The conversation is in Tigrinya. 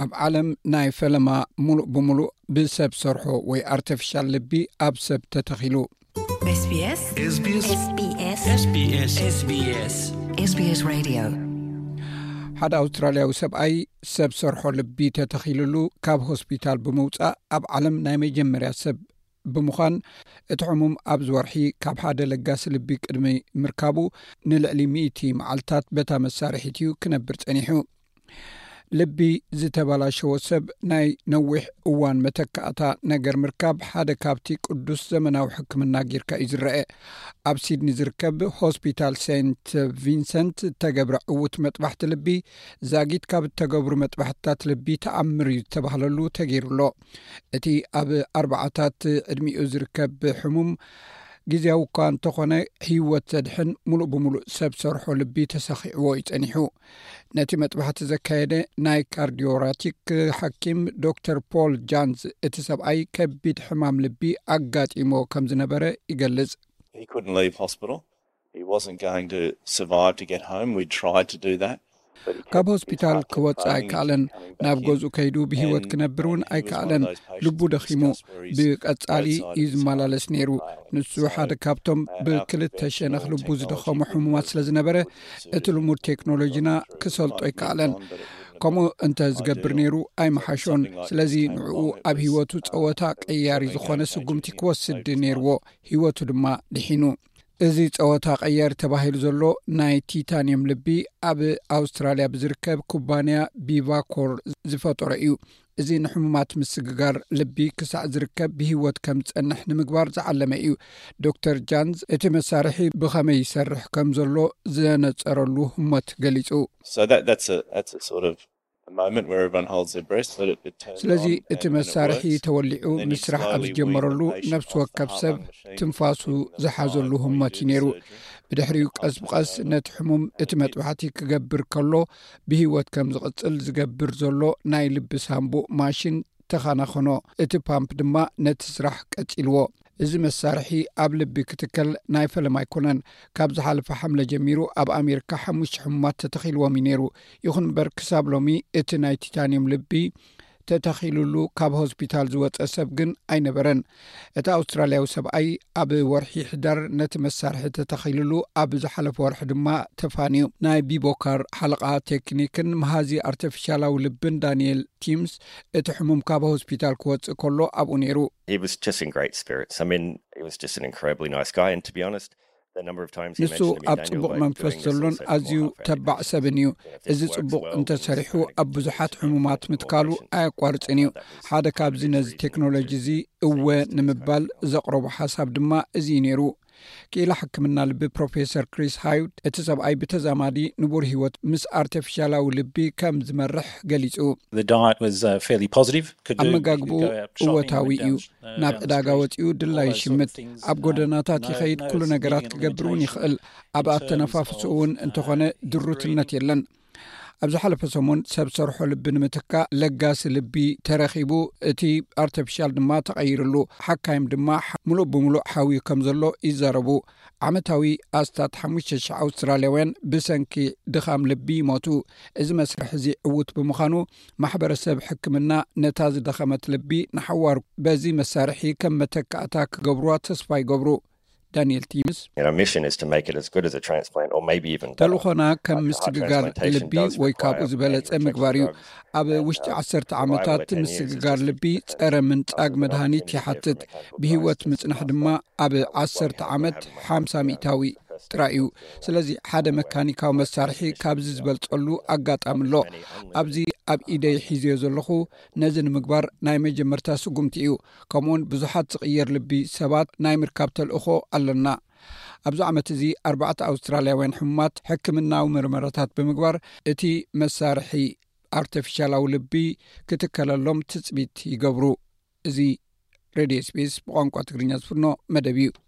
ኣብ ዓለም ናይ ፈለማ ሙሉእ ብሙሉእ ብሰብ ሰርሖ ወይ ኣርተፊሻል ልቢ ኣብ ሰብ ተተኺሉ። SBS SBS SBS SBS Radio. ሓደ ኣውስትራልያዊ ሰብኣይ ሰብ ሰርሖ ልቢ ተተኺልሉ ካብ ሆስፒታል ብምውፃእ ኣብ ዓለም ናይ መጀመርያ ሰብ ብምዃን፣ እቲ ሕሙም ኣብዚ ወርሒ ካብ ሓደ ለጋሲ ልቢ ቅድሚ ምርካቡ ንልዕሊ ሚእቲ መዓልታት በታ መሳርሒት እዩ ክነብር ጸኒሑ። ልቢ ዝተበላሸወ ሰብ ናይ ነዊሕ እዋን መተካእታ ነገር ምርካብ ሓደ ካብቲ ቅዱስ ዘመናዊ ሕክምና ጌርካ እዩ ዝረአ። ኣብ ሲድኒ ዝርከብ ሆስፒታል ሴንት ቪንሰንት እተገብረ ዕዉት መጥባሕቲ ልቢ ዛጊት ካብ እተገብሩ መጥባሕትታት ልቢ ተኣምር እዩ ዝተባህለሉ ተገይሩሎ። እቲ ኣብ ኣርባዓታት ዕድሚኡ ዝርከብ ሕሙም ግዜያዊ እኳ እንተኾነ ህይወት ዘድሕን ሙሉእ ብምሉእ ሰብ ሰርሖ ልቢ ተሰኺዕዎ እዩ ጸኒሑ። ነቲ መጥባሕቲ ዘካየደ ናይ ካርዲዮራቲክ ሓኪም ዶክተር ፖል ጃንዝ፣ እቲ ሰብኣይ ከቢድ ሕማም ልቢ ኣጋጢሞ ከም ዝነበረ ይገልጽ። He couldn't leave hospital. He wasn't going to survive to get home. We tried to do that. ካብ ሆስፒታል ክወፅእ ኣይከኣለን። ናብ ገዝኡ ከይዱ ብህይወት ክነብር እውን ኣይከኣለን። ልቡ ደኺሙ ብቀጻሊ እዩ ዝመላለስ ነይሩ። ንሱ ሓደ ካብቶም ብክልተ ሸነኽ ልቡ ዝደኸሙ ሕሙማት ስለ ዝነበረ፣ እቲ ልሙድ ቴክኖሎጂና ክሰልጦ ኣይከኣለን። ከምኡ እንተ ዝገብር ነይሩ ኣይመሓሾን። ስለዚ ንዕኡ ኣብ ህይወቱ ጸወታ ቀያሪ ዝኾነ ስጉምቲ ክወስድ ነይርዎ። ህይወቱ ድማ ድሒኑ። እዚ ጸወታ ቀያሪ ተባሂሉ ዘሎ ናይ ቲታንየም ልቢ ኣብ ኣውስትራልያ ብዝርከብ ኩባንያ ቢቫኮር ዝፈጠሮ እዩ። እዚ ንሕሙማት ምስግጋር ልቢ ክሳዕ ዝርከብ ብህይወት ከም ዝጸንሕ ንምግባር ዝዓለመ እዩ። ዶክተር ጃንዝ እቲ መሳርሒ ብኸመይ ይሰርሕ ከም ዘሎ ዘነጸረሉ ህሞት ገሊጹ። So that that's a that's a sort of a moment where everyone holds their breath, but it, it turns ስለዚ on እቲ and, and it መሳርሒ works. ተወሊዑ And then you ምስ ስራሕ ኣብ slowly wean ዝጀመረሉ the patient ነፍሲ off the ወከፍ heart ሰብ lung machine. ትንፋሱ ዝሓዘሉ ህሞት እዩ ነይሩ። ብድሕሪኡ ቀስ ብቐስ ነቲ ሕሙም እቲ መጥባሕቲ ክገብር ከሎ ብህይወት ከም ዝቕጽል ዝገብር ዘሎ ናይ ልቢ ሳንቡእ ማሽን ተኸናኸኖ። እቲ ፓምፕ ድማ ነቲ ስራሕ ቀጺልዎ። እዚ መሳርሒ ኣብ ልቢ ክትከል ናይ ፈለማ ኣይኮነን። ካብ ዝሓለፈ ሓምለ ጀሚሩ ኣብ ኣሜሪካ ሓሙሽተ ሕሙማት ተተኺልዎም እዩ ነይሩ። ይኹን እምበር ክሳብ ሎሚ እቲ ናይ ቲታንየም ልቢ ተተኺሉሉ ካብ ሆስፒታል ዝወፀ ሰብ ግን ኣይነበረን። እቲ ኣውስትራልያዊ ሰብኣይ ኣብ ወርሒ ሕዳር ነቲ መሳርሒ ተተኺሉሉ፣ ኣብ ዝሓለፈ ወርሒ ድማ ተፋንዩ። ናይ ቢቦካር ሓለቓ ቴክኒክን መሃዚ ኣርተፊሻላዊ ልብን ዳንኤል ቲምስ፣ እቲ ሕሙም ካብ ሆስፒታል ክወፅእ ከሎ ኣብኡ ነይሩ። He was just in great spirits. I mean, he was just an incredibly nice guy. And to be honest, the number of times he ንሱ mentioned to me, ኣብ Daniel, ጽቡቕ like, መንፈስ doing this and ዘሎን said, ኣዝዩ "Well, how far you ተባዕ can ሰብን do እዩ። this? And if this እዚ works ጽቡቕ well, እንተ we'll ሰሪሑ try and ኣብ get ብዙሓት this ሕሙማት into more ምትካሉ patients." ኣየቋርጽን እዩ። ሓደ ካብዚ ነዚ ቴክኖሎጂ እዚ እወ ንምባል ዘቕረቦ ሓሳብ ድማ እዚ እዩ ነይሩ። ክኢላ ሕክምና ልቢ ፕሮፌሰር ክሪስ ሃይድ፣ እቲ ሰብኣይ ብተዛማዲ ንቡር ህይወት ምስ ኣርተፊሻላዊ ልቢ ከም ዝመርሕ ገሊጹ። The diet was uh, fairly positive. Could do, you could ኣመጋግብኡ go out shopping and እወታዊ went እዩ። down, uh, ናብ down the ዕዳጋ street. ወፂኡ ድላ All those sort of ይሽምት። things. ኣብ No, ጎደናታት no, ይኸይድ። no ኩሉ ነገራት significant ክገብር እውን limitation ይኽእል። ኣብ in terms ኣተነፋፍስኡ of, እውን uh, እንተኾነ his ድሩትነት breathing. የለን። ኣብ ዝሓለፈ ሰሙን ሰብ ሰርሖ ልቢ ንምትካእ ለጋሲ ልቢ ተረኺቡ፣ እቲ ኣርተፊሻል ድማ ተቐይርሉ። ሓካይም ድማ ሓ- ሙሉእ ብሙሉእ ሓውዩ ከም ዘሎ ይዛረቡ። ዓመታዊ ኣስታት ሓሙሽተ ሽሕ ኣውስትራልያውያን ብሰንኪ ድኻም ልቢ ይሞቱ። እዚ መስርሕ እዚ ዕዉት ብምዃኑ፣ ማሕበረሰብ ሕክምና ነታ ዝደኸመት ልቢ ንሓዋሩ በዚ መሳርሒ ከም መተካእታ ክገብሩዋ ተስፋ ይገብሩ። ዳንኤል ቲምስ፣ And our mission is to make it as good as a transplant, or maybe even better. ተልኾና ከም Heart ምስግጋር transplantation ልቢ does ወይ require ካብኡ ዝበለጸ manufactured ምግባር እዩ። drugs. ኣብ ውሽጢ ዓሰርተ ዓመታት ምስግጋር ልቢ ጸረ ምንጻግ መድሃኒት ይሓትት። ብህይወት ምጽናሕ ድማ ኣብ ዓሰርተ ዓመት ሓምሳ ሚእታዊ ጥራይ እዩ። ስለዚ ሓደ መካኒካዊ መሳርሒ ካብዚ ዝበልጸሉ ኣጋጣሚ ኣሎ። ኣብዚ ኣብ ኢደይ ሒዘዮ ዘለኹ ነዚ ንምግባር ናይ መጀመርታ ስጉምቲ እዩ። ከምኡውን ብዙሓት ዝቕየር ልቢ ሰባት ናይ ምርካብ ተልእኾ ኣለና። ኣብዚ ዓመት እዚ ኣርባዕተ ኣውስትራልያውያን ሕሙማት ሕክምናዊ መርመራታት ብምግባር እቲ መሳርሒ ኣርተፊሻላዊ ልቢ ክትከለሎም ትጽቢት ይገብሩ። እዚ ሬድዮ ስፔስ ብቋንቋ ትግርኛ ዝፍኖ መደብ እዩ።